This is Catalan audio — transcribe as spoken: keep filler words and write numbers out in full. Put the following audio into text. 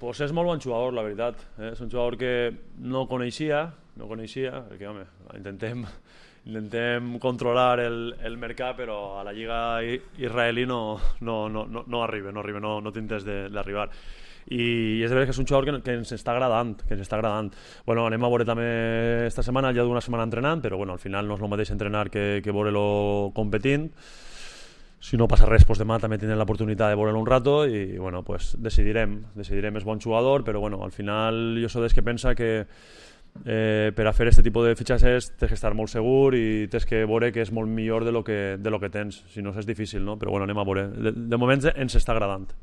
Pues és molt bon jugador, la veritat. Eh? És un jugador que no coneixia, no coneixia, perquè, home, intentem, intentem controlar el, el mercat, però a la lliga israelí no, no, no, no, no arriba, no arriba, no, no té interès d'arribar. I és de veritat que és un jugador que, que ens està agradant, que ens està agradant. Bueno, anem a veure també esta setmana, ja d'una setmana entrenant, però bueno, al final no és el mateix entrenar que, que veure-lo competint. Si no passa res, pues demà també tindrem l'oportunitat de veure-lo un rato i bueno, pues decidirem, decidirem, és bon jugador, però bueno, al final jo soc dels que pensa que eh, per a fer aquest tipus de fitxatges tens que estar molt segur i tens que veure que és molt millor de lo que, de lo que tens, si no és difícil, no? Però bueno, anem a veure. De, de moment ens està agradant.